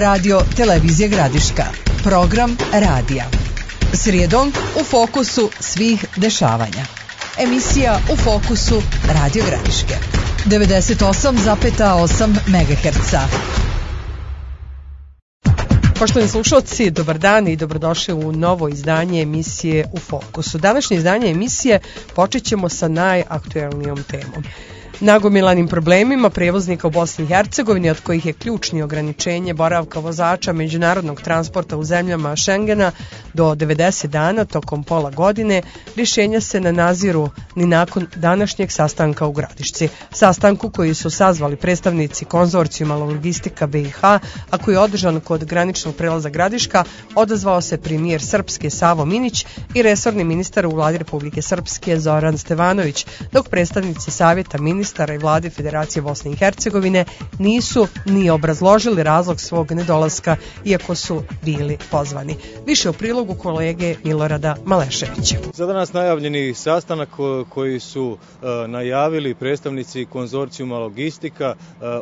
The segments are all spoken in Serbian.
Radio Televizije Gradiška. Program radija. Srijedom u fokusu svih dešavanja. Emisija U fokusu Radio Gradiške. 98,8 MHz. Poštovani slušalci, dobar dan i dobrodošli u novo izdanje emisije U fokusu. Današnje izdanje emisije počet ćemo sa najaktuelnijom temom. Nagomilanim problemima prevoznika u Bosni i Hercegovini, od kojih je ključni ograničenje boravka vozača međunarodnog transporta u zemljama Šengena do 90 dana tokom pola godine, rješenja se ne naziru ni nakon današnjeg sastanka u Gradišci. Sastanku koji su sazvali predstavnici konzorcijuma Logistika BiH, a koji je održan kod graničnog prelaza Gradiška, odazvao se premijer Srpske Savo Minić i resorni ministar u vladi Republike Srpske Zoran Stevanović, dok predstavnici Savjeta ministara i vlade Federacije Bosne i Hercegovine nisu ni obrazložili razlog svog nedolaska, iako su bili pozvani. Više u prilogu kolege Milorada Maleševića. Za danas najavljeni sastanak koji su najavili predstavnici konzorcijuma Logistika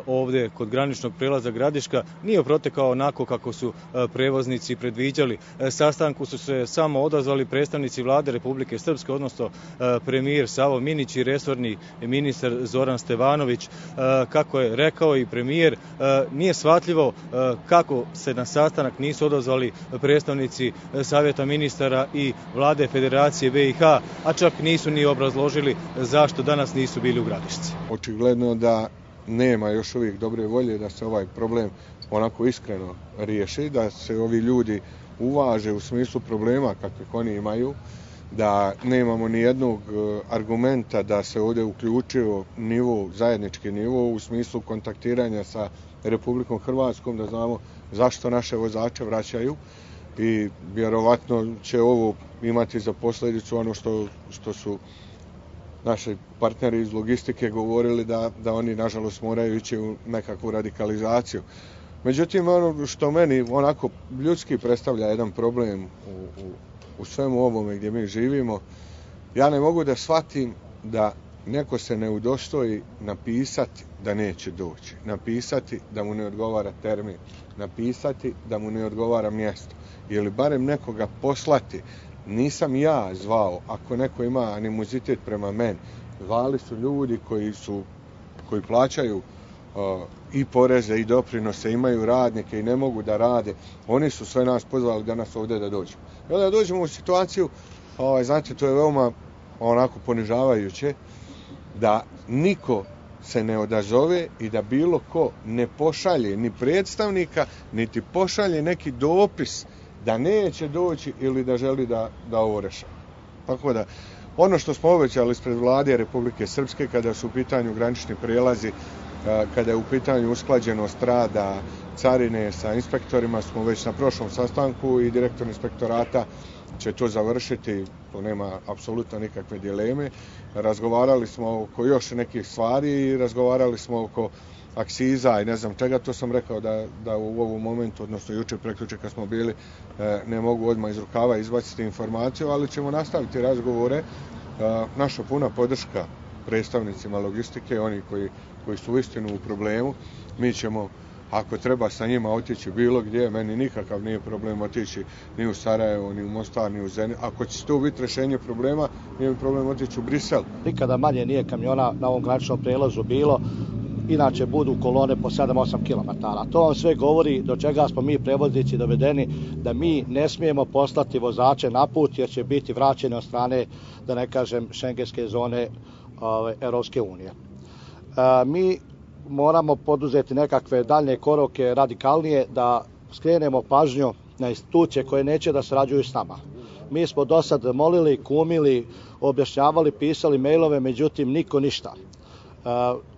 ovdje kod graničnog prelaza Gradiška nije protekao onako kako su prevoznici predviđali. Sastanku su se samo odazvali predstavnici vlade Republike Srpske, odnosno premijer Savo Minić i resorni ministar Zoran Stevanović. Kako je rekao i premijer, nije shvatljivo kako se na sastanak nisu odazvali predstavnici Savjeta ministara i vlade Federacije BiH, a čak nisu ni obrazložili zašto danas nisu bili u Gradišci. Očigledno da nema još uvijek dobre volje da se ovaj problem onako iskreno riješi, da se ovi ljudi uvaže u smislu problema kakvih oni imaju, da nemamo ni jednog argumenta da se ovdje uključio zajednički nivo u smislu kontaktiranja sa Republikom Hrvatskom, da znamo zašto naše vozače vraćaju i vjerovatno će ovo imati za posljedicu ono što su naši partneri iz logistike govorili da oni nažalost moraju ići u nekakvu radikalizaciju. Međutim, ono što meni onako ljudski predstavlja jedan problem u svemu ovome gdje mi živimo, ja ne mogu da shvatim da neko se ne udostoji napisati da neće doći, napisati da mu ne odgovara termin, napisati da mu ne odgovara mjesto ili barem nekoga poslati. Nisam ja zvao, ako neko ima animozitet prema meni, zvali su ljudi koji plaćaju i poreze i doprinose, imaju radnike i ne mogu da rade. Oni su sve nas pozvali danas ovdje da dođemo. I onda dođemo u situaciju, znate, to je veoma onako ponižavajuće, da niko se ne odazove i da bilo ko ne pošalje ni predstavnika, niti pošalje neki dopis da neće doći ili da želi da ovo rešava. Tako da, ono što smo obećali ispred vlade Republike Srpske kada su u pitanju granični prijelazi, kada je u pitanju usklađenost rada carine sa inspektorima, smo već na prošlom sastanku i direktor inspektorata će to završiti, to nema apsolutno nikakve dileme. Razgovarali smo oko još nekih stvari i razgovarali smo oko aksiza i ne znam čega, to sam rekao da u ovom momentu, odnosno jučer prekjučer kad smo bili, ne mogu odmah iz rukava izbaciti informaciju, ali ćemo nastaviti razgovore. Naša puna podrška predstavnicima logistike, oni koji su uistinu u problemu. Mi ćemo, ako treba, sa njima otići bilo gdje, meni nikakav nije problem otići ni u Sarajevo, ni u Mostar, ni u Zenin. Ako će to biti rješenje problema, nije mi problem otići u Brisel. Nikada manje nije kamiona na ovom graničnom prijelazu bilo, inače budu kolone po 7-8 km. To vam sve govori do čega smo mi prevoznici dovedeni, da mi ne smijemo poslati vozače na put jer će biti vraćeni od strane, da ne kažem, šengenske zone Europske unije. Mi moramo poduzeti nekakve daljnje korake radikalnije da skrenemo pažnju na institucije koje neće da sarađuju s nama. Mi smo do sad molili, kumili, objašnjavali, pisali mailove, međutim niko ništa.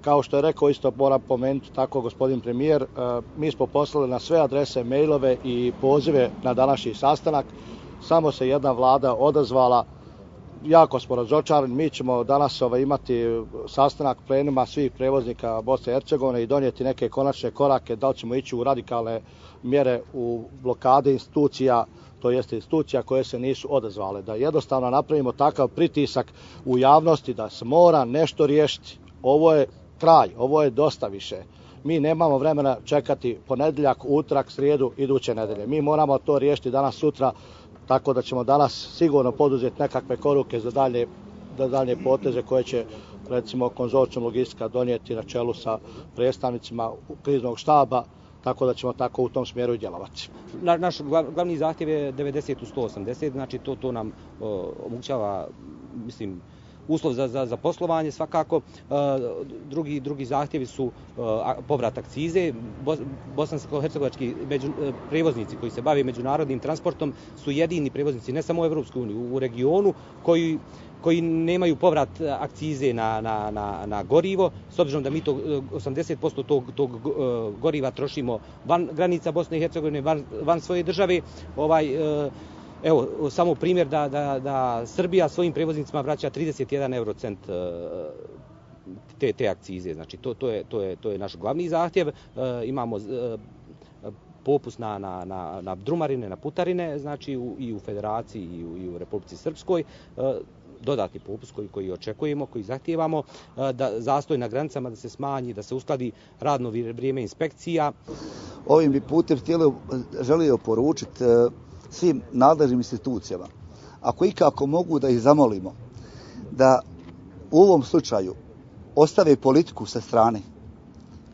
Kao što je rekao, isto moram pomenuti tako gospodin premijer, mi smo poslali na sve adrese mailove i pozive na današnji sastanak. Samo se jedna vlada odazvala. Jako smo razočarani. Mi ćemo danas imati sastanak plenuma svih prevoznika Bosne i Hercegovine i donijeti neke konačne korake, da li ćemo ići u radikalne mjere u blokade institucija, to jeste institucija koje se nisu odazvale. Da jednostavno napravimo takav pritisak u javnosti da se mora nešto riješiti. Ovo je kraj, ovo je dosta više. Mi nemamo vremena čekati ponedjeljak, utorak, srijedu, iduće nedelje. Mi moramo to riješiti danas, sutra, tako da ćemo danas sigurno poduzeti nekakve koruke za dalje poteze koje će, recimo, konzorcijum logistika donijeti na čelu sa predstavnicima kriznog štaba, tako da ćemo tako u tom smjeru i djelovati. Naš glavni zahtjev je 90 u 180, znači to nam omogućava, mislim, uslov za poslovanje svakako. Drugi zahtjevi su povrat akcize. Bosansko-hercegovački prevoznici koji se bave međunarodnim transportom su jedini prevoznici ne samo u Evropskoj uniji, u regionu koji nemaju povrat akcize na gorivo, s obzirom da mi to 80% tog goriva trošimo van granica Bosne i Hercegovine, van svoje države. Evo, samo primjer da Srbija svojim prevoznicima vraća 31 eurocent te akcize. Znači, to je naš glavni zahtjev. Imamo popust na drumarine, na putarine, znači i u Federaciji i u Republici Srpskoj. Dodatni popust koji očekujemo, koji zahtijevamo, da zastoj na granicama da se smanji, da se uskladi radno vrijeme inspekcija. Ovim bi putem želio poručiti svim nadležnim institucijama, ako ikako mogu da ih zamolimo, da u ovom slučaju ostave politiku sa strane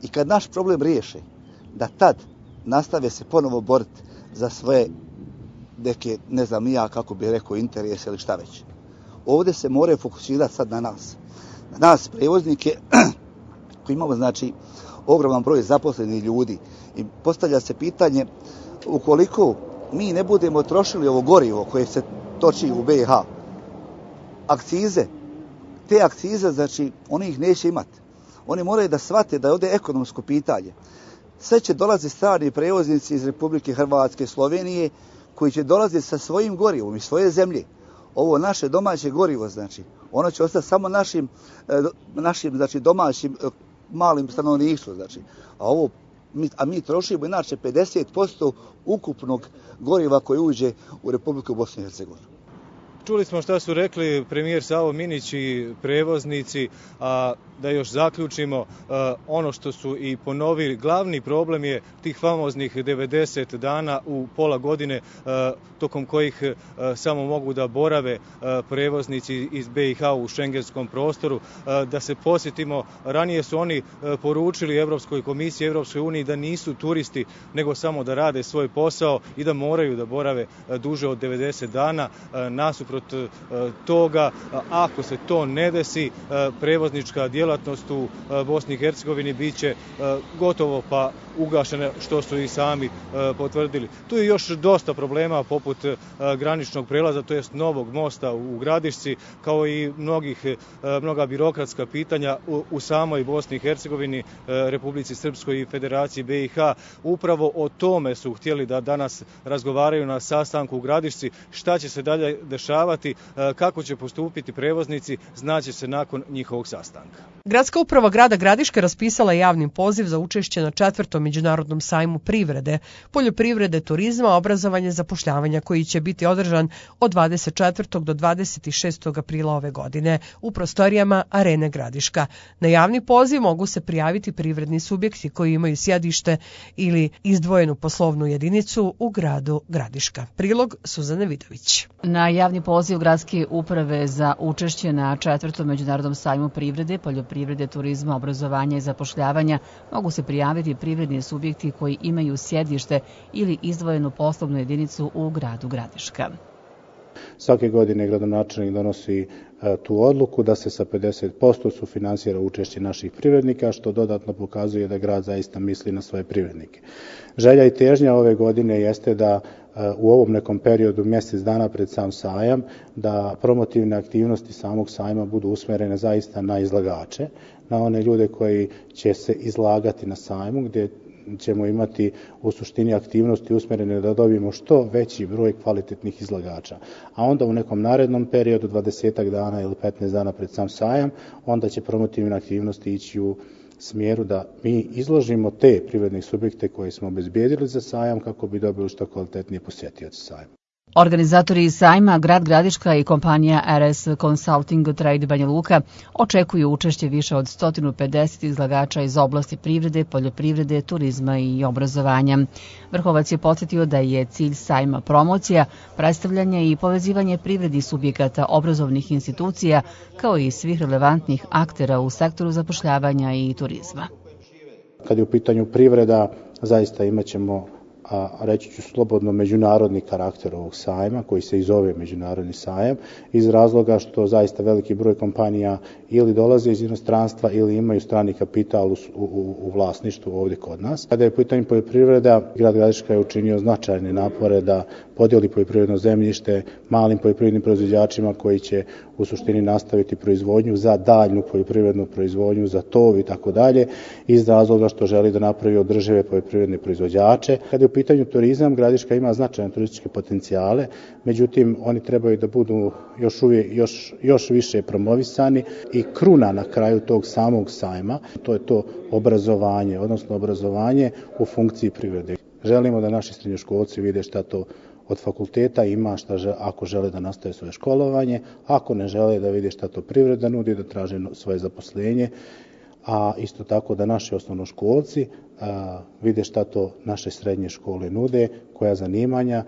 i kad naš problem riješe, da tad nastave se ponovo boriti za svoje neke, ne znam ja kako bih rekao, interese ili šta već. Ovdje se moraju fokusirati sad na nas. Na nas prevoznike koji imamo, znači, ogroman broj zaposlenih ljudi. I postavlja se pitanje, ukoliko mi ne budemo trošili ovo gorivo koje se toči u BiH, te akcize, znači, oni ih neće imati. Oni moraju da shvate da je ovdje ekonomsko pitanje. Sve će dolaziti strani prevoznici iz Republike Hrvatske, Slovenije, koji će dolaziti sa svojim gorivom iz svoje zemlje. Ovo naše domaće gorivo, znači, ono će ostati samo našim znači, domaćim malim stanovništvom, znači. A mi trošimo inače 50% ukupnog goriva koje uđe u Republiku Bosnu i Hercegovinu. Čuli smo šta su rekli premijer Savo Minić i prevoznici, a da još zaključimo, ono što su i ponovili, glavni problem je tih famoznih 90 dana u pola godine tokom kojih samo mogu da borave prevoznici iz BiH u šengenskom prostoru. Da se posjetimo, ranije su oni poručili Evropskoj komisiji, Evropskoj uniji da nisu turisti, nego samo da rade svoj posao i da moraju da borave duže od 90 dana. Nasuprot toga, ako se to ne desi, prevoznička djelatnost u Bosni i Hercegovini bit će gotovo pa ugašena, što su i sami potvrdili. Tu je još dosta problema poput graničnog prelaza, to jest novog mosta u Gradišci, kao i mnoga birokratska pitanja u samoj Bosni i Hercegovini, Republici Srpskoj i Federaciji BiH. Upravo o tome su htjeli da danas razgovaraju na sastanku u Gradišci. Šta će se dalje dešavati, kako će postupiti prevoznici, znaće se nakon njihovog sastanka. Gradska uprava grada Gradiške raspisala je javni poziv za učešće na 4. međunarodnom sajmu privrede, poljoprivrede, turizma, obrazovanja i zapošljavanja, koji će biti održan od 24. do 26. aprila ove godine u prostorijama Arene Gradiška. Na javni poziv mogu se prijaviti privredni subjekti koji imaju sjedište ili izdvojenu poslovnu jedinicu u gradu Gradiška. Prilog Suzane Vidović. Na javni poziv Gradske uprave za učešće na 4. međunarodnom sajmu privrede, poljoprivrede, turizma, obrazovanja i zapošljavanja mogu se prijaviti privredni subjekti koji imaju sjedište ili izdvojenu poslovnu jedinicu u gradu Gradiška. Svake godine gradonačelnik donosi tu odluku da se sa 50% sufinansira učešće naših privrednika, što dodatno pokazuje da grad zaista misli na svoje privrednike. Želja i težnja ove godine jeste da u ovom nekom periodu, mjesec dana pred sam sajam, da promotivne aktivnosti samog sajma budu usmjerene zaista na izlagače, na one ljude koji će se izlagati na sajmu, gdje ćemo imati u suštini aktivnosti usmjerene da dobijemo što veći broj kvalitetnih izlagača. A onda u nekom narednom periodu, 20 dana ili 15 dana pred sam sajam, onda će promotivne aktivnosti ići u smjeru da mi izložimo te privredne subjekte koje smo obezbijedili za sajam kako bi dobili što kvalitetnije posjetioce sajma. Organizatori sajma Grad Gradiška i kompanija RS Consulting Trade Banja Luka očekuju učešće više od 150 izlagača iz oblasti privrede, poljoprivrede, turizma i obrazovanja. Vrhovac je podsjetio da je cilj sajma promocija, predstavljanje i povezivanje privrednih subjekata, obrazovnih institucija, kao i svih relevantnih aktera u sektoru zapošljavanja i turizma. Kad je u pitanju privreda, zaista imat ćemo, reći ću slobodno, međunarodni karakter ovog sajma, koji se i zove međunarodni sajam, iz razloga što zaista veliki broj kompanija ili dolaze iz inostranstva ili imaju strani kapital u vlasništvu ovdje kod nas. Kada je u pitanju poljoprivreda, Grad Gradiška je učinio značajne napore da podijeli poljoprivredno zemljište malim poljoprivrednim proizvođačima koji će u suštini nastaviti proizvodnju za daljnu poljoprivrednu proizvodnju, za tov i tako dalje, iz razloga što želi da napravi održive poljoprivredne proizvođače. Kada je u pitanju turizam, Gradiška ima značajne turističke potencijale, međutim oni trebaju da budu još više promovisani i kruna na kraju tog samog sajma, to je to obrazovanje, odnosno obrazovanje u funkciji privrede. Želimo da naši srednjoškolci vide šta to od fakulteta ima, ako žele da nastave svoje školovanje, ako ne žele da vide šta to privreda nudi, da traže svoje zaposlenje, a isto tako da naši osnovnoškolci vide šta to naše srednje škole nude, koja zanimanja.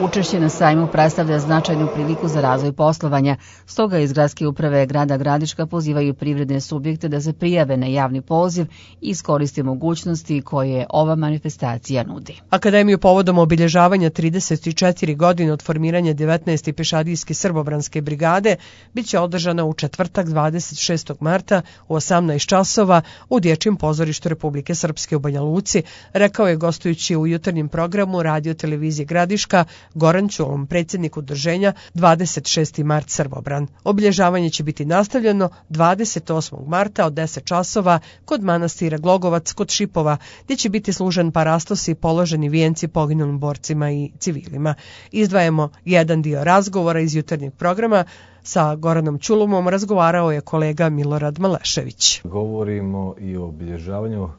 Učešće na sajmu predstavlja značajnu priliku za razvoj poslovanja, stoga iz Gradske uprave Grada Gradiška pozivaju privredne subjekte da se prijave na javni poziv i iskoriste mogućnosti koje ova manifestacija nudi. Akademiju povodom obilježavanja 34 godine od formiranja 19. pešadijske srbobranske brigade biće održana u četvrtak 26. marta u 18 časova u Dječjem pozorištu Republike Srpske u Banja Luci, rekao je gostujući u jutarnjem programu Radio televizije Gradiška Goran Ćulom, predsjednik udruženja 26. mart Srbobran. Obilježavanje će biti nastavljeno 28. marta od 10 časova kod manastira Glogovac kod Šipova, gdje će biti služen parastos i položeni vijenci poginulim borcima i civilima. Izdvajamo jedan dio razgovora iz jutarnjeg programa. Sa Goranom Ćulomom razgovarao je kolega Milorad Malešević. Govorimo i o obilježavanju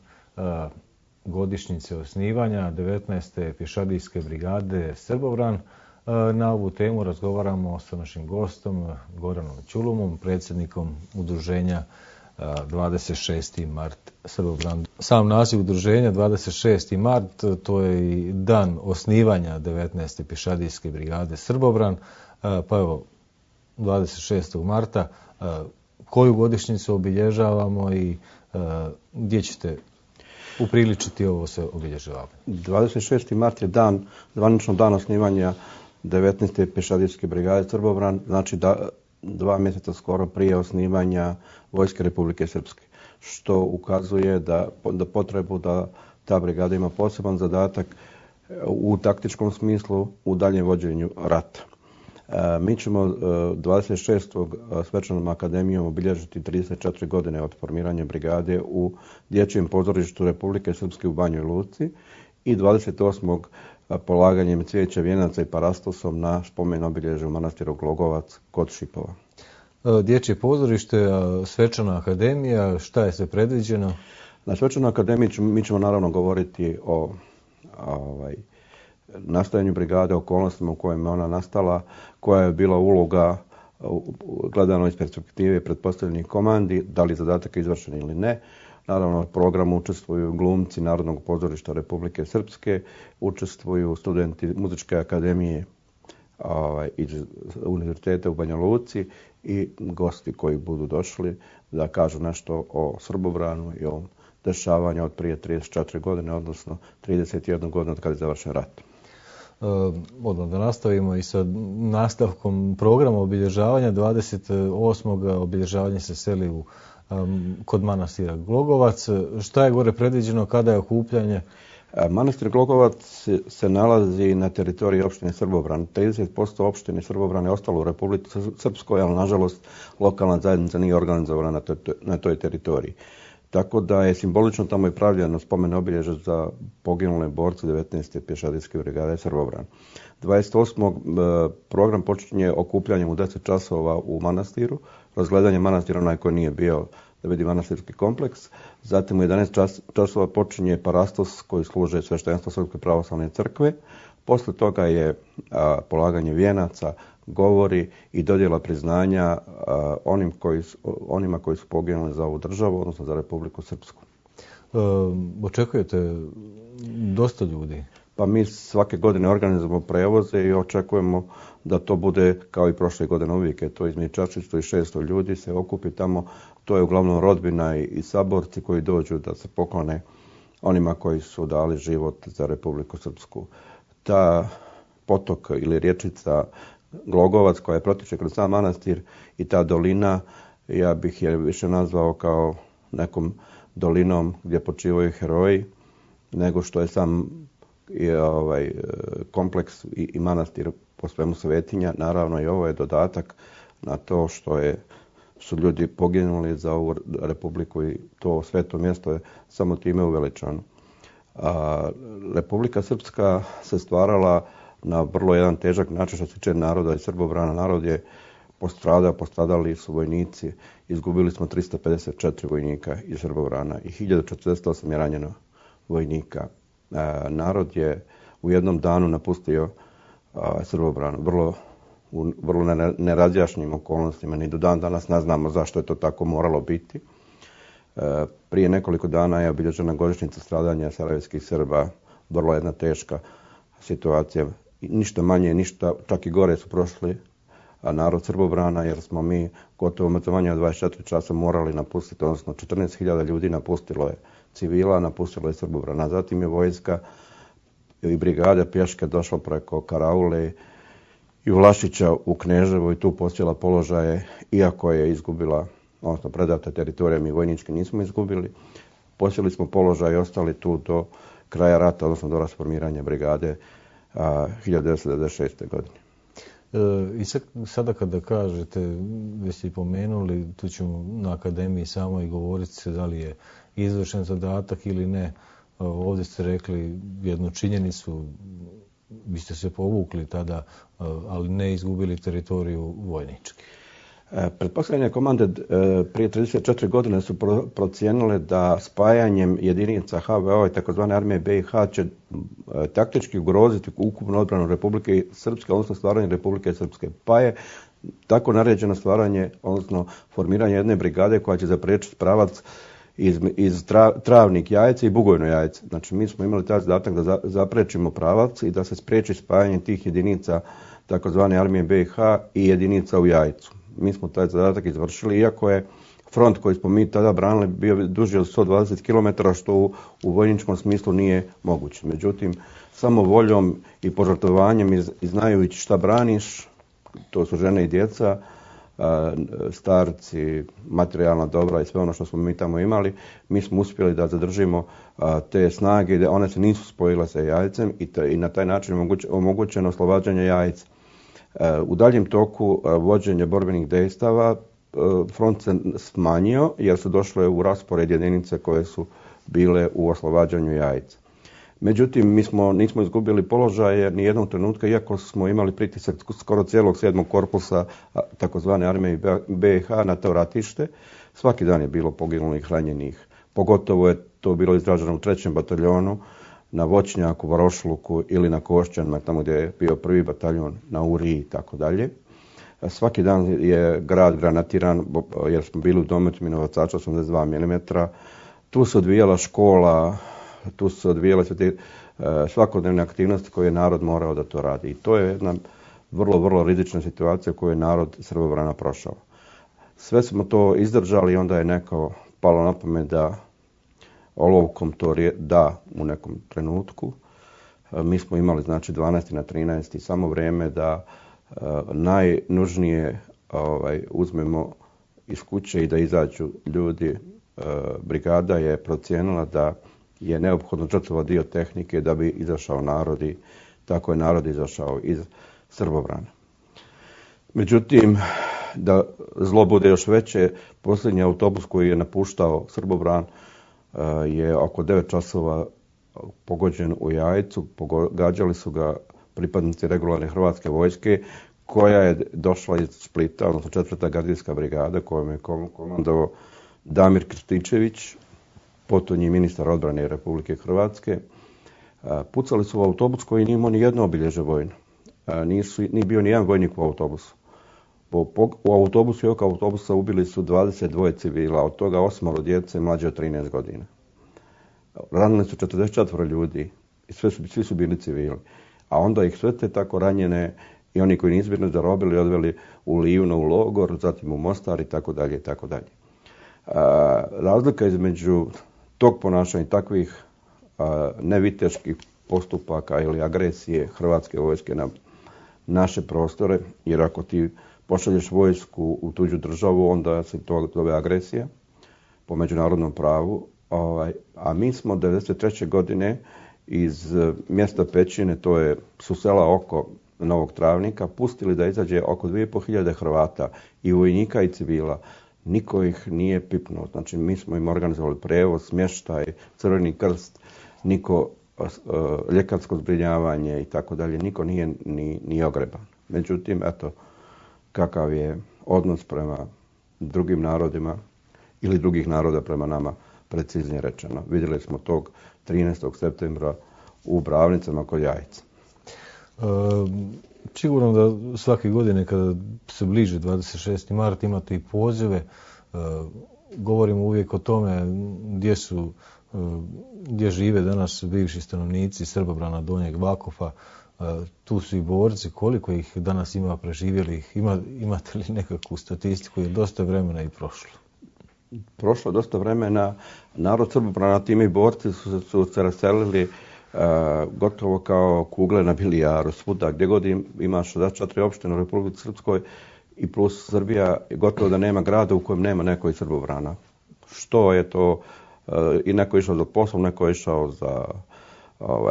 godišnjice osnivanja 19. pješadijske brigade Srbobran. Na ovu temu razgovaramo sa našim gostom Goranom Ćulomom, predsjednikom udruženja 26. mart Srbobran. Sam naziv udruženja 26. mart, to je i dan osnivanja 19. pješadijske brigade Srbobran. Pa evo, 26. marta, koju godišnjicu obilježavamo i gdje ćete upriličiti ovo se obilježavanje? 26. mart je zvanično dan osnivanja 19. pješadijske brigade Srbobran, znači 2 mjeseca skoro prije osnivanja Vojske Republike Srpske, što ukazuje da potrebu da ta brigada ima poseban zadatak u taktičkom smislu u daljem vođenju rata. Mi ćemo 26. svečanom akademijom obilježiti 34 godine od formiranja brigade u Dječjem pozorištu Republike Srpske u Banjoj Luci i 28. polaganjem cvijeća, vijenaca i parastosom na spomen obilježje u manastiru Glogovac kod Šipova. Dječje pozorište, svečana akademija, šta je sve predviđeno? Na svečanoj akademiji mi ćemo naravno govoriti o nastajanju brigade, okolnostima u kojima je ona nastala, koja je bila uloga gledano iz perspektive pretpostavljenih komandi, da li zadatak je izvršen ili ne. Naravno, u programu učestvuju glumci Narodnog pozorišta Republike Srpske, učestvuju studenti Muzičke akademije iz Univerziteta u Banja Luci i gosti koji budu došli da kažu nešto o Srbobranu i o dešavanju od prije 34 godine, odnosno 31 godinu od kada je završen rat. Odmah da nastavimo i sa nastavkom programa obilježavanja. 28. obilježavanje se seli kod manastira Glogovac. Šta je gore predviđeno, kada je okupljanje? Manastir Glogovac se nalazi na teritoriji opštine Srbobran. 30% opštine Srbobran je ostalo u Republici Srpskoj, ali nažalost lokalna zajednica nije organizovana na toj teritoriji. Tako da je simbolično tamo i pravljeno spomen obilježje za poginule borce 19. pješadijske brigade Srbobran. 28. program počinje okupljanjem u 10 časova u manastiru. Razgledanje manastira, onaj koji nije bio da vidi manastirski kompleks. Zatim u 11 časova počinje parastos koji služe sveštenstvo Srpske pravoslavne crkve. Posle toga je polaganje vijenaca, govori i dodjela priznanja onima koji su poginuli za ovu državu, odnosno za Republiku Srpsku. Očekujete dosta ljudi? Pa mi svake godine organizujemo prevoze i očekujemo da to bude kao i prošle godine uvijek. To između 400 i 600 ljudi se okupi tamo. To je uglavnom rodbina i saborci koji dođu da se poklone onima koji su dali život za Republiku Srpsku. Ta potok ili rječica Glogovac koja je protiče kroz sam manastir i ta dolina, ja bih je više nazvao kao nekom dolinom gdje počivaju heroji, nego što je sam kompleks i manastir po svemu svetinja. Naravno i ovo je dodatak na to što su ljudi poginuli za ovu republiku i to sveto mjesto je samo time uveličano. Republika Srpska se stvarala na vrlo jedan težak način što se tiče naroda i Srbobrana. Narod je postradali su vojnici. Izgubili smo 354 vojnika iz Srbobrana i 1048 je ranjeno vojnika. Narod je u jednom danu napustio Srbobran u vrlo nerazjašnjim okolnostima. Ni do dan danas ne znamo zašto je to tako moralo biti. Prije nekoliko dana je obilježena godišnjica stradanja sarajevskih Srba. Vrlo jedna teška situacija. Ništa manje, ništa, čak i gore su prošli narod Srbobrana, jer smo mi gotovo manje od 24 časa morali napustiti, odnosno 14.000 ljudi napustilo je civila, napustilo je Srbobrana. Zatim je vojska i brigada pješke došla preko Karaule i Vlašića u Kneževo i tu posjela položaje, iako je izgubila, odnosno predata teritorija, mi vojnički nismo izgubili. Posjeli smo položaj i ostali tu do kraja rata, odnosno do rasformiranja brigade 1996. godine. I sada kada kažete, već ste pomenuli, tu ćemo na akademiji samo i govoriti se da li je izvršen zadatak ili ne. Ovdje ste rekli jednu činjenicu, vi ste se povukli tada, ali ne izgubili teritoriju vojnički. Pretpostavljanje komande prije 34 godine su procijenile da spajanjem jedinica HVO i tzv. armije BiH će taktički ugroziti ukupnu odbranu Republike Srpske, odnosno stvaranje Republike Srpske. Pa je tako naređeno stvaranje, odnosno formiranje jedne brigade koja će zapriječiti pravac iz Travnik Jajce i Bugojno Jajce. Znači mi smo imali taj zadatak da zapriječimo pravac i da se spriječi spajanje tih jedinica tzv. armije BiH i jedinica u Jajcu. Mi smo taj zadatak izvršili, iako je front koji smo mi tada branili bio duži od 120 km, što u vojničkom smislu nije moguće. Međutim, samo voljom i požrtvovanjem i znajući šta braniš, to su žene i djeca, starci, materijalna dobra i sve ono što smo mi tamo imali, mi smo uspjeli da zadržimo te snage, one se nisu spojile sa Jajcem i na taj način omogućeno oslobađanje Jajca. U daljem toku vođenja borbenih dejstava front se smanjio jer su došle u raspored jedinice koje su bile u oslobađanju Jajca. Međutim, mi nismo izgubili položaje ni jednog trenutka, iako smo imali pritisak skoro cijelog 7. korpusa takozvane armije BiH na to ratište. Svaki dan je bilo poginulih, ranjenih. Pogotovo je to bilo izraženo u 3. bataljonu, na Voćnjaku, Varošluku ili na Košćanima, tamo gdje je bio 1. bataljon, na Uriji i tako dalje. Svaki dan je grad granatiran jer smo bili u dometu minobacača 82 mm. Tu se odvijala škola, tu se odvijale sve te svakodnevne aktivnosti koje je narod morao da to radi. I to je jedna vrlo, vrlo rizična situacija koju je narod Srbobrana prošao. Sve smo to izdržali i onda je neko palo na pamet da olovkom to da u nekom trenutku. Mi smo imali znači 12. na 13. samo vrijeme da najnužnije uzmemo iz kuće i da izađu ljudi. Brigada je procijenila da je neophodno žrtvovati dio tehnike da bi izašao narod i tako je narod izašao iz Srbobrana. Međutim, da zlo bude još veće, posljednji autobus koji je napuštao Srbobran je oko 9 časova pogođen u Jajcu. Pogađali su ga pripadnici regularne hrvatske vojske koja je došla iz Splita, odnosno 4. gardijska brigada kojom je komandovao Damir Krstičević, potonji ministar odbrane Republike Hrvatske. Pucali su u autobus koji nije imao ni jedno obilježje vojno. Nije bio ni jedan vojnik u autobusu. U autobusu i oko autobusa ubili su 22 civila, od toga 8 djece mlađe od 13 godina. Ranili su 44 ljudi i svi su bili civili. A onda ih sve te tako ranjene i oni koji nisu bili zarobili odveli u Livno u logor, zatim u Mostar i tako dalje i tako dalje. Razlika između tog ponašanja i takvih neviteških postupaka ili agresije Hrvatske vojske na naše prostore, jer ako ti pošalješ vojsku u tuđu državu, onda se to zove agresija po međunarodnom pravu. A mi smo 1993. godine iz mjesta Pećine, su sela oko Novog Travnika, pustili da izađe oko 2500 Hrvata i vojnika i civila. Niko ih nije pipnuo. Znači, mi smo im organizovali prevoz, smještaj, Crveni krst, niko ljekarsko zbrinjavanje i tako dalje. Niko nije ni ogreban. Međutim, eto, kakav je odnos prema drugim narodima ili drugih naroda prema nama, preciznije rečeno. Vidjeli smo tog 13. septembra u Bravnicama kod Jajca. Sigurno da svake godine kada se bliže 26. mart imate i pozive. Govorimo uvijek o tome gdje žive danas bivši stanovnici Srbobrana, Donjeg Vakufa. Tu su i borci. Koliko ih danas ima preživjelih? Imate li nekakvu statistiku? Je dosta vremena i prošlo. Prošlo dosta vremena. Narod Srbobrana, time i borci su se raselili gotovo kao kugle na bilijaru. Svuda gdje god imaš 64 opštine u Republici Srpskoj i plus Srbija, gotovo da nema grada u kojem nema neko iz Srbobrana. Što je to? I neko je išao za poslom, neko je išao za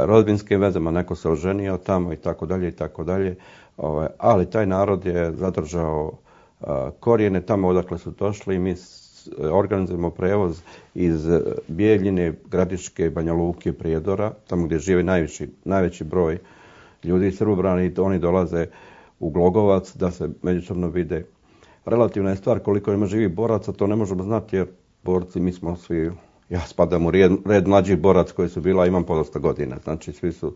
rodbinskim vezama, neko se oženio tamo i tako dalje i tako dalje. Ali taj narod je zadržao korijene tamo odakle su došli i mi organizujemo prevoz iz Bijeljine, Gradiške, Banja Luke, Prijedora, tamo gdje žive najveći broj ljudi iz Srbobrana i oni dolaze u Glogovac da se međusobno vide. Relativna je stvar koliko ima živih boraca, to ne možemo znati jer borci, mi smo svi, ja spadam u red mlađih boraca koji su bila, imam podosta godina. Znači svi su,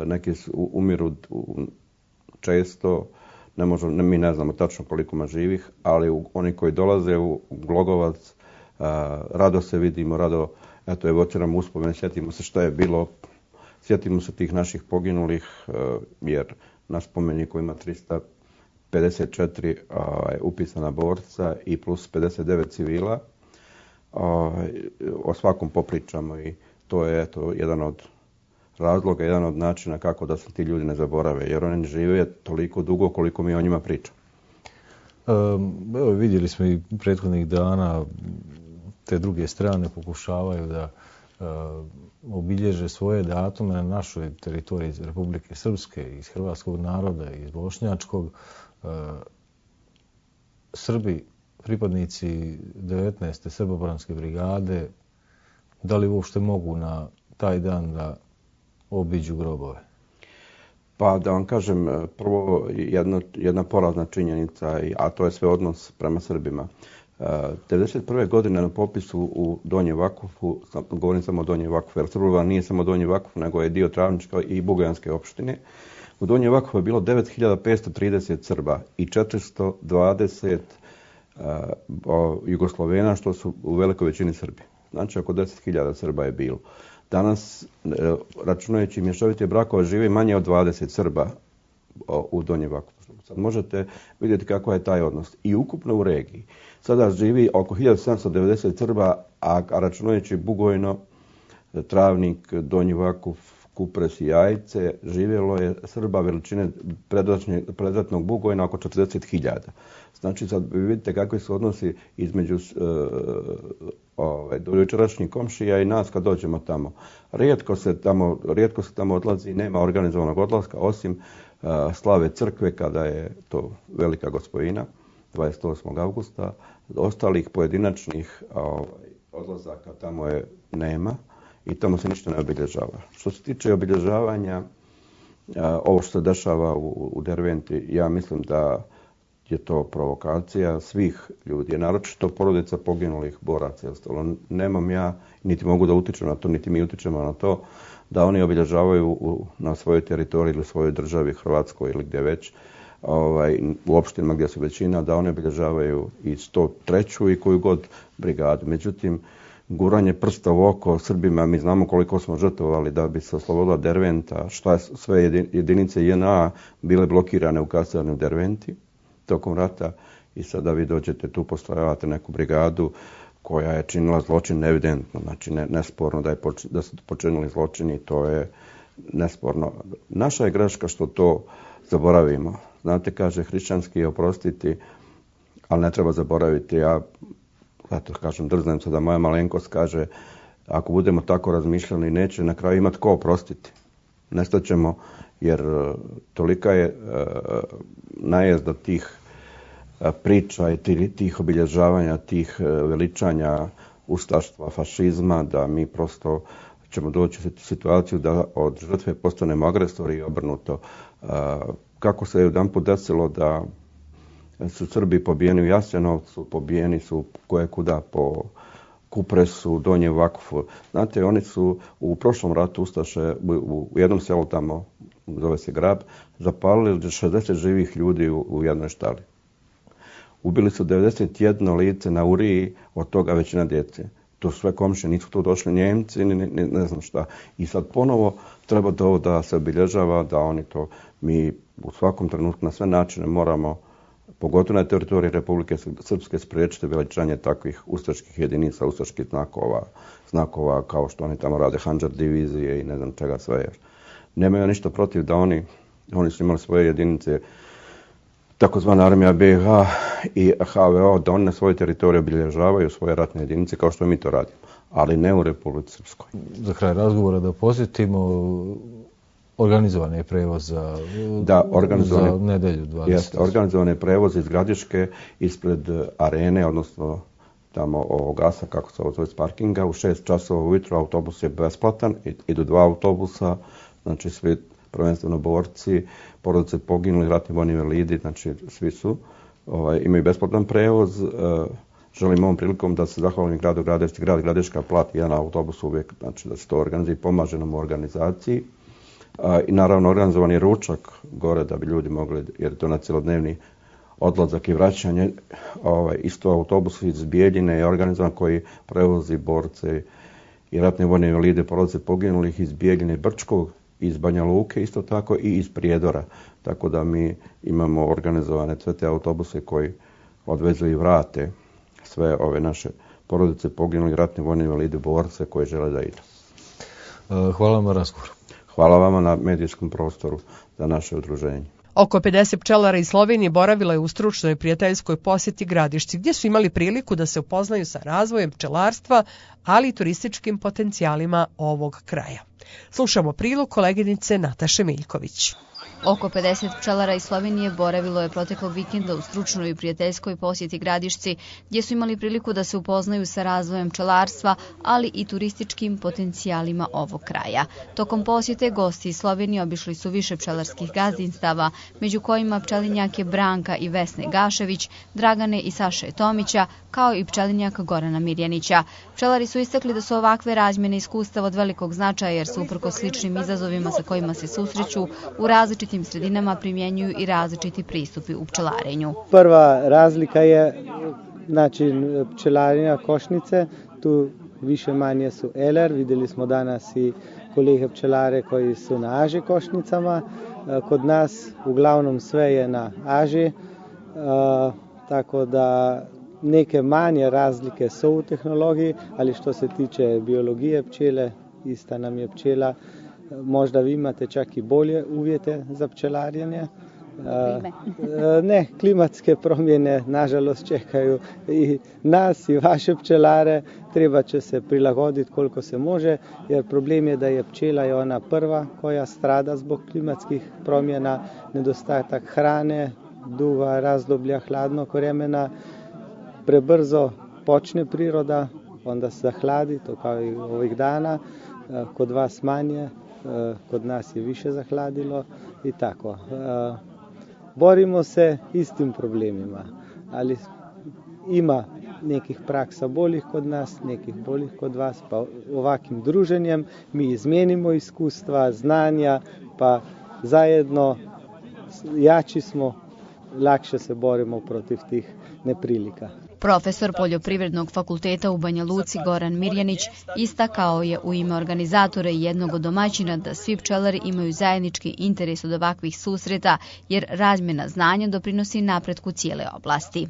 neki umiru često, mi ne znamo tačno koliko ima živih, ali oni koji dolaze u Glogovac, rado se vidimo, rado evociramo uspomene, sjetimo se što je bilo, sjetimo se tih naših poginulih, jer na spomeniku ima 354 upisana borca i plus 59 civila. O svakom popričamo i to je jedan od razloga, jedan od načina kako da se ti ljudi ne zaborave, jer oni žive toliko dugo koliko mi o njima pričamo. Evo, vidjeli smo i prethodnih dana te druge strane pokušavaju da obilježe svoje datume na našoj teritoriji iz Republike Srpske, iz hrvatskog naroda, iz bošnjačkog. Srbi, pripadnici 19. Srbobranske brigade, da li uopšte mogu na taj dan da obiđu grobove? Pa da vam kažem, prvo jedna porazna činjenica, a to je sve odnos prema Srbima. 1991. godine na popisu u Donjem Vakufu, govorim samo o Donjem Vakufu, jer Srbobran nije samo Donji Vakuf, nego je dio Travničke i Bugojanske opštine. U Donjem Vakufu je bilo 9530 Srba i 420 Jugoslovena, što su u velikoj većini Srbi. Znači oko 10.000 Srba je bilo. Danas, računajući mješovite brakove, živi manje od 20 Srba u Donjem Vakufu. Sad možete vidjeti kako je taj odnos. I ukupno u regiji. Sada živi oko 1790 Srba, a računajući Bugojno, Travnik, Donji Vakuf, Kupres i Jajce, živjelo je Srba veličine predratnog Bugojna oko 40.000. Znači sad vi vidite kakvi su odnosi između dojučerašnjih komšija i nas kad dođemo tamo. Rijetko se tamo odlazi, nema organizovanog odlaska, osim slave crkve kada je to velika gospojina, 28. augusta. Ostalih pojedinačnih odlazaka tamo nema i tamo se ništa ne obilježava. Što se tiče obilježavanja, ovo što se dešava u Derventi, ja mislim da je to provokacija svih ljudi, naročito porodica poginulih boraca i ostalo. Nemam ja, niti mogu da utičem na to, niti mi utičemo na to, da oni obilježavaju na svojoj teritoriji ili svojoj državi, Hrvatskoj ili gdje već, u opštinama gdje su većina, da oni obilježavaju i 103. i koju god brigadu. Međutim, guranje prsta u oko Srbima, mi znamo koliko smo žrtvovali da bi se oslobodila Derventa, šta sve jedinice JNA bile blokirane u kasarni u Derventi tokom rata i sada vi dođete tu, postrojavate neku brigadu koja je činila zločin evidentno, znači nesporno da su počinili zločini, to je nesporno. Naša je greška što to zaboravimo. Znate, kaže, hrišćanski je oprostiti, ali ne treba zaboraviti. Ja, zato kažem, drznem se da moja malenkost kaže, ako budemo tako razmišljali, neće na kraju imati ko oprostiti. Nestaćemo, jer tolika je najezda tih priča i tih obilježavanja, tih veličanja ustaštva, fašizma, da mi prosto ćemo doći u situaciju da od žrtve postanemo agresori i obrnuto. Kako se jedanput desilo da su Srbi pobijeni u Jasenovcu, pobijeni su kojekuda po Kupresu, Donje Vakfu. Znate, oni su u prošlom ratu ustaše u jednom selu tamo, zove se Grab, zapalili 60 živih ljudi u jednoj štali. Ubili su 91 lice na Uriji, od toga većina djece. To sve komšije, nisu tu došli Njemci, ne znam šta. I sad ponovo treba to da se obilježava, da oni to, mi u svakom trenutku na sve načine moramo, pogotovo na teritoriji Republike Srpske, spriječiti veličanje takvih ustaških jedinica, ustaških znakova kao što oni tamo rade, Handžar divizije i ne znam čega sve. Jer nemaju ništa protiv da oni su imali svoje jedinice, takozvana armija BiH i HVO, da oni na svojoj teritoriji obilježavaju svoje ratne jedinice kao što mi to radimo, ali ne u Republici Srpskoj. Za kraj razgovora da posjetimo organizovani je prevoz za nedelju 20. Jeste, organizovan je prevoz iz Gradiške ispred arene, odnosno tamo ovog gasa, kako se ovo zove, s parkinga. U 6 časova ujutro autobus je besplatan, idu 2 autobusa, znači svi prvenstveno borci, porodice poginuli, ratni vojni invalidi, znači svi su, imaju besplatan prevoz. Želim ovom prilikom da se zahvalim gradu Gradišci. Grad Gradiška plati jedan autobus uvijek, znači da se to organizuje i pomaže nam u organizaciji. I naravno organizovan je ručak gore da bi ljudi mogli, jer je to na cjelodnevni odlazak i vraćanje. Isto autobus iz Bijeljine je organizovan koji prevozi borce i ratne vojne invalide, porodice poginulih iz Bijeljine i Brčkog, iz Banja Luke isto tako i iz Prijedora. Tako da mi imamo organizovane sve te autobuse koji odvezu i vrate sve ove naše porodice poginulih, ratne vojne invalide, borce koji žele da idu. Hvala vam na razgovoru. Hvala vama na medijskom prostoru za naše udruženje. Oko 50 pčelara iz Slovenije boravilo je u stručnoj prijateljskoj posjeti Gradišci, gdje su imali priliku da se upoznaju sa razvojem pčelarstva, ali i turističkim potencijalima ovog kraja. Slušamo prilog koleginice Nataše Miljković. Oko 50 pčelara iz Slovenije boravilo je proteklog vikenda u stručnoj i prijateljskoj posjeti Gradišci, gdje su imali priliku da se upoznaju sa razvojem pčelarstva, ali i turističkim potencijalima ovog kraja. Tokom posjete gosti iz Slovenije obišli su više pčelarskih gazdinstava, među kojima pčelinjake Branka i Vesne Gašević, Dragane i Saše Tomića, kao i pčelinjak Gorana Mirjanića. Pčelari su istakli da su ovakve razmjene iskustava od velikog značaja, jer su uprko sličnim izazovima sa kojima se susreću u različitim sredinama primjenjuju i različiti pristupi u pčelarenju. Prva razlika je način pčelarenja košnice. Tu više manje su LR. Vidjeli smo danas i kolege pčelare koji su na AŽ košnicama. Kod nas uglavnom sve je na AŽ, tako da neke manje razlike su u tehnologiji, ali što se tiče biologije pčele, ista nam je pčela. Možda vi imate čak i bolje uvjete za pčelarjenje. Ne, klimatske promjene nažalost čekaju i nas i vaše pčelare. Treba će se prilagoditi koliko se može, jer problem je da je pčela je ona prva koja strada zbog klimatskih promjena, nedostatak hrane, duga razdoblja hladnog vremena, prebrzo počne priroda, onda se zahladi, to kao i ovih dana, kod vas manje, kod nas je više zahladilo i tako. borimo se istim problemima, ali ima nekih praksa boljih kod nas, nekih boljih kod vas, pa ovakvim druženjem mi izmenimo iskustva, znanja, pa zajedno jači smo, lakše se borimo protiv tih neprilika. Profesor Poljoprivrednog fakulteta u Banja Luci Goran Mirjanić istakao je u ime organizatora i jednog od domaćina da svi pčelari imaju zajednički interes od ovakvih susreta, jer razmjena znanja doprinosi napretku cijele oblasti.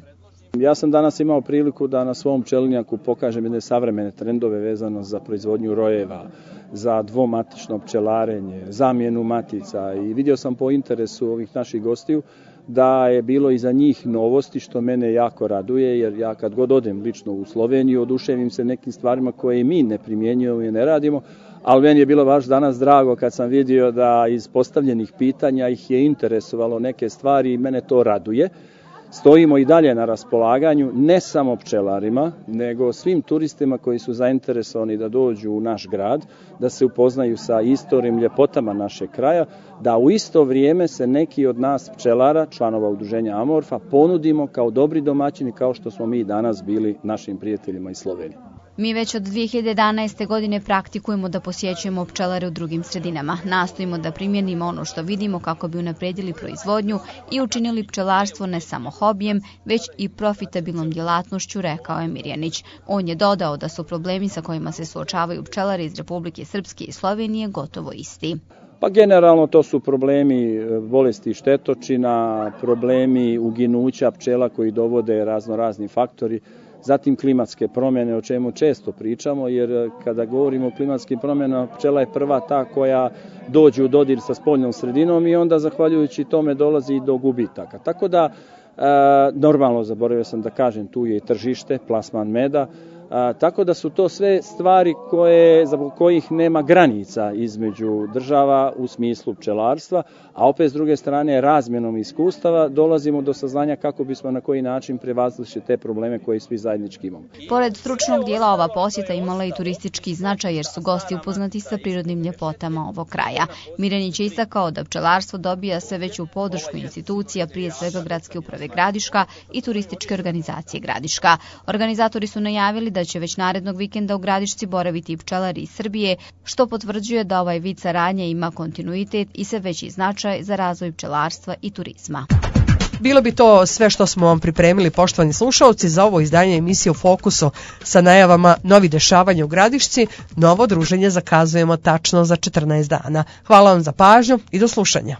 Ja sam danas imao priliku da na svom pčelinjaku pokažem jedne savremene trendove vezano za proizvodnju rojeva, za dvomatično pčelarenje, zamjenu matica i vidio sam po interesu ovih naših gostiju da je bilo i za njih novosti, što mene jako raduje, jer ja kad god odem lično u Sloveniju oduševim se nekim stvarima koje mi ne primjenjujemo i ne radimo, ali meni je bilo baš danas drago kad sam vidio da iz postavljenih pitanja ih je interesovalo neke stvari i mene to raduje. Stojimo i dalje na raspolaganju ne samo pčelarima, nego svim turistima koji su zainteresovani da dođu u naš grad, da se upoznaju sa istorijom, ljepotama našeg kraja, da u isto vrijeme se neki od nas pčelara, članova udruženja Amorfa, ponudimo kao dobri domaćini kao što smo mi danas bili našim prijateljima iz Slovenije. Mi već od 2011. godine praktikujemo da posjećujemo pčelare u drugim sredinama. Nastojimo da primjenimo ono što vidimo kako bi unapredili proizvodnju i učinili pčelarstvo ne samo hobijem, već i profitabilnom djelatnošću, rekao je Mirjanić. On je dodao da su problemi sa kojima se suočavaju pčelari iz Republike Srpske i Slovenije gotovo isti. Pa generalno to su problemi bolesti štetočina, problemi uginuća pčela koji dovode razni faktori, zatim klimatske promjene, o čemu često pričamo, jer kada govorimo o klimatskim promjenama, pčela je prva ta koja dođe u dodir sa spoljnom sredinom i onda zahvaljujući tome dolazi i do gubitaka. Tako da, normalno, zaboravio sam da kažem, tu je i tržište, plasman meda, tako da su to sve stvari za kojih nema granica između država u smislu pčelarstva, a opet s druge strane razmjenom iskustava dolazimo do saznanja kako bismo na koji način prevazišli te probleme koje svi zajednički imamo. Pored stručnog dijela ova posjeta imala i turistički značaj jer su gosti upoznati sa prirodnim ljepotama ovog kraja. Mirjanić je istakao da pčelarstvo dobija sve veću podršku institucija, prije svega Gradske uprave Gradiška i turističke organizacije Gradiška. Organizatori su najavili da će već narednog vikenda u Gradišci boraviti i pčelari iz Srbije, što potvrđuje da ovaj vid saradnje ima kontinuitet i sve veći značaj za razvoj pčelarstva i turizma. Bilo bi to sve što smo vam pripremili, poštovani slušalci, za ovo izdanje emisije U fokusu sa najavama novih dešavanja u Gradišci. Novo druženje zakazujemo tačno za 14 dana. Hvala vam za pažnju i do slušanja.